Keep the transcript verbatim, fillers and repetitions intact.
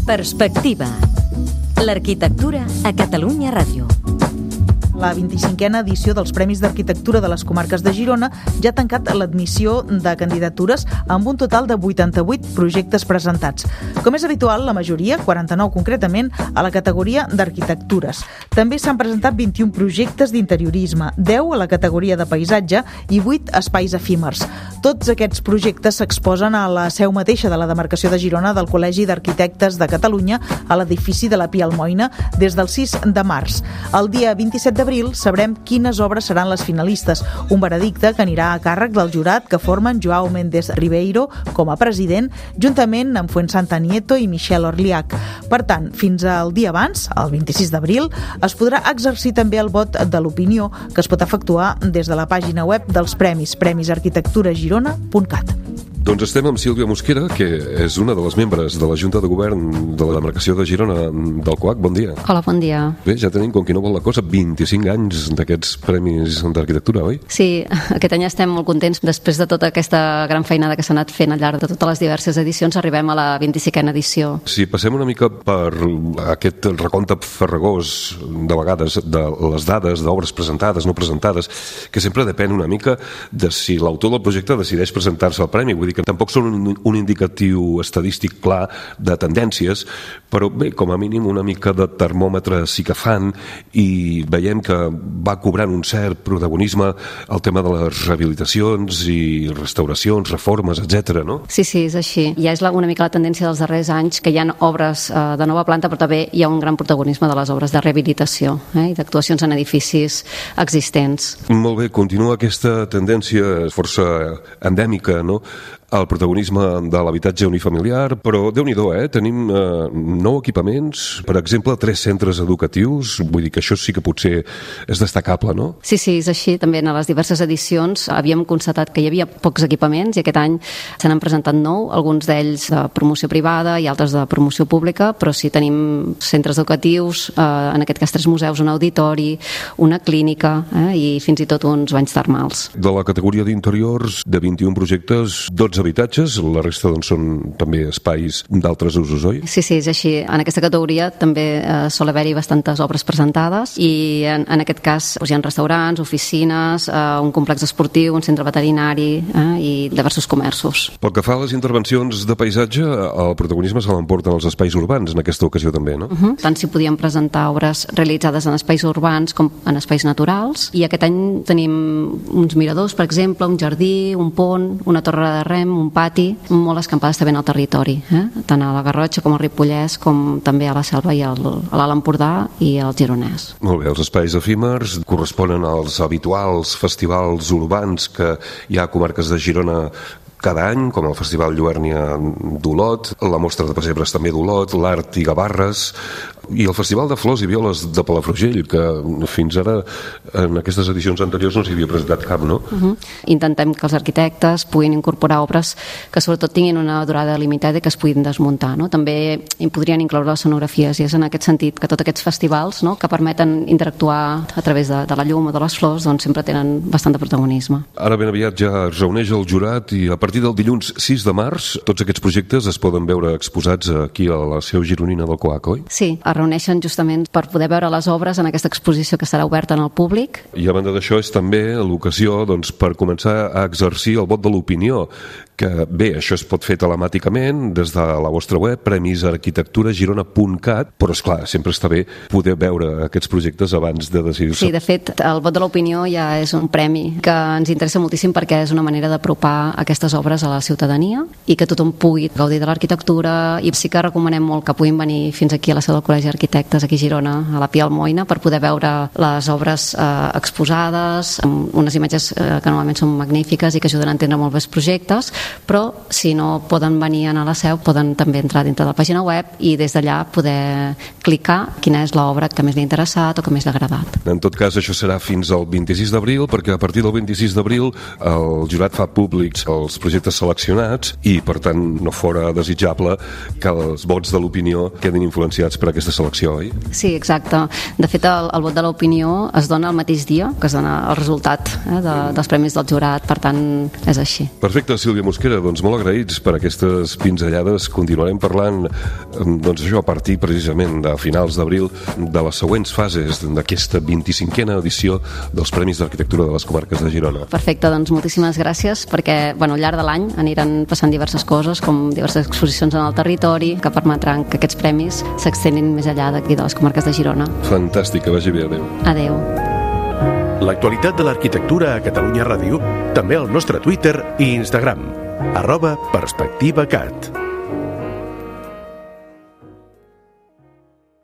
Perspectiva. L'arquitectura a Catalunya Ràdio. La vint-i-cinquena edició dels Premis d'Arquitectura de les Comarques de Girona ja ha tancat l'admissió de candidatures amb un total de vuitanta-vuit projectes presentats. Com és habitual, la majoria, quaranta-nou concretament, a la categoria d'arquitectures. També s'han presentat vint-i-un projectes d'interiorisme, deu a la categoria de paisatge i vuit espais efímers. Tots aquests projectes s'exposen a la seu mateixa de la demarcació de Girona del Col·legi d'Arquitectes de Catalunya a l'edifici de la Pia Almoina des del sis de març. El dia vint-i-set d'abril sabrem quines obres seran les finalistes, un veredicte que anirà a càrrec del jurat que formen Joao Méndez Ribeiro com a president, juntament amb Fuensanta Nieto i Michel Orliac. Per tant, fins al dia abans, el vint-i-sis d'abril, es podrà exercir també el vot de l'opinió que es pot efectuar des de la pàgina web dels premis, premis arquitectura girona punt cat. Doncs estem amb Sílvia Mosquera, que és una de les membres de la Junta de Govern de la demarcació de Girona del C O A C. Bon dia. Hola, bon dia. Bé, ja tenim, com qui no vol la cosa, vint-i-cinc anys d'aquests premis d'arquitectura, oi? Sí, aquest any estem molt contents. Després de tota aquesta gran feinada que s'ha anat fent al llarg de totes les diverses edicions, arribem a la vint-i-cinquena edició. Si passem una mica per aquest recompte farragós, de vegades, de les dades d'obres presentades, no presentades, que sempre depèn una mica de si l'autor del projecte decideix presentar-se al premi. Vull dir que tampoc són un, un indicatiu estadístic clar de tendències, però bé, com a mínim una mica de termòmetre sí que fan, i veiem que va cobrant un cert protagonisme el tema de les rehabilitacions i restauracions, reformes, etcètera, no? Sí, sí, és així. Ja és la, una mica la tendència dels darrers anys, que hi ha obres eh, de nova planta, però també hi ha un gran protagonisme de les obres de rehabilitació eh, i d'actuacions en edificis existents. Molt bé, continua aquesta tendència força endèmica, no?, el protagonisme de l'habitatge unifamiliar, però Déu-n'hi-do, eh? Tenim eh, nou equipaments, per exemple, tres centres educatius, vull dir que això sí que potser és destacable, no? Sí, sí, és així. També en les diverses edicions havíem constatat que hi havia pocs equipaments i aquest any se n'han presentat nou, alguns d'ells de promoció privada i altres de promoció pública, però sí tenim centres educatius, eh, en aquest cas tres museus, un auditori, una clínica eh, i fins i tot uns banys termals. De la categoria d'interiors, de vint-i-un projectes, dotze habitatges, la resta doncs, són també espais d'altres usos, oi? Sí, sí, és així. En aquesta categoria també eh, sol haver-hi bastantes obres presentades i en, en aquest cas doncs, hi ha restaurants, oficines, eh, un complex esportiu, un centre veterinari eh, i diversos comerços. Pel que fa a les intervencions de paisatge, el protagonisme se l'emporten els espais urbans en aquesta ocasió també, no? Uh-huh. Tant si podíem presentar obres realitzades en espais urbans com en espais naturals, i aquest any tenim uns miradors, per exemple, un jardí, un pont, una torre de rem, un pati, molt escampades també en el territori, eh? Tant a la Garrotxa com al Ripollès, com també a la Selva i al, a l'Alt Empordà i al Gironès. Molt bé, els espais efímers corresponen als habituals festivals urbans que hi ha a comarques de Girona cada any, com el Festival Lluèrnia d'Olot, la Mostra de Pessebres també d'Olot, l'Art i Gavarres, i el Festival de Flors i Violes de Palafrugell, que fins ara en aquestes edicions anteriors no s'hi havia presentat cap, no? Uh-huh. Intentem que els arquitectes puguin incorporar obres que sobretot tinguin una durada limitada i que es puguin desmuntar, no? També hi podrien incloure les scenografies, i és en aquest sentit que tots aquests festivals, no?, que permeten interactuar a través de, de la llum o de les flors, doncs sempre tenen bastant de protagonisme. Ara ben aviat ja es reuneix el jurat i a partir del dilluns sis de març tots aquests projectes es poden veure exposats aquí a la seu gironina del C O A C, oi? Sí, es reuneixen justament per poder veure les obres en aquesta exposició que serà oberta en el públic. I a banda d'això és també l'ocasió doncs, per començar a exercir el vot de l'opinió, que bé, això es pot fer telemàticament des de la vostra web, premis arquitectura girona punt cat, però esclar, sempre està bé poder veure aquests projectes abans de decidir-se. Sí, de fet, el vot de l'opinió ja és un premi que ens interessa moltíssim perquè és una manera d'apropar aquestes obres a la ciutadania i que tothom pugui gaudir de l'arquitectura, i sí que recomanem molt que puguin venir fins aquí a la seu del Col·legi d'Arquitectes aquí a Girona, a la Pia Almoina, per poder veure les obres eh, exposades, amb unes imatges eh, que normalment són magnífiques i que ajuden a entendre molt bé els projectes, però si no poden venir a la seu poden també entrar dintre de la pàgina web i des d'allà poder clicar quina és l'obra que més li ha interessat o que més li ha agradat. En tot cas, això serà fins al vint-i-sis d'abril, perquè a partir del vint-i-sis d'abril el jurat fa públics els projectes seleccionats i, per tant, no fora desitjable que els vots de l'opinió quedin influenciats per aquesta selecció, oi? Sí, exacte. De fet, el, el vot de l'opinió es dona el mateix dia que es dona el resultat eh, de, dels premis del jurat, per tant, és així. Perfecte, Sílvia Mosquera. Mosquera, doncs molt agraïts per aquestes pinzellades. Continuarem parlant, doncs això, a partir precisament de finals d'abril, de les següents fases d'aquesta vint-i-cinquena edició dels Premis d'Arquitectura de les Comarques de Girona. Perfecte, doncs moltíssimes gràcies, perquè bueno, al llarg de l'any aniran passant diverses coses, com diverses exposicions en el territori, que permetran que aquests premis s'extenin més enllà d'aquí de les comarques de Girona. Fantàstic, que vagi bé, adéu. Adéu. L'actualitat de l'arquitectura a Catalunya Ràdio, també al nostre Twitter i Instagram, arroba perspectivacat.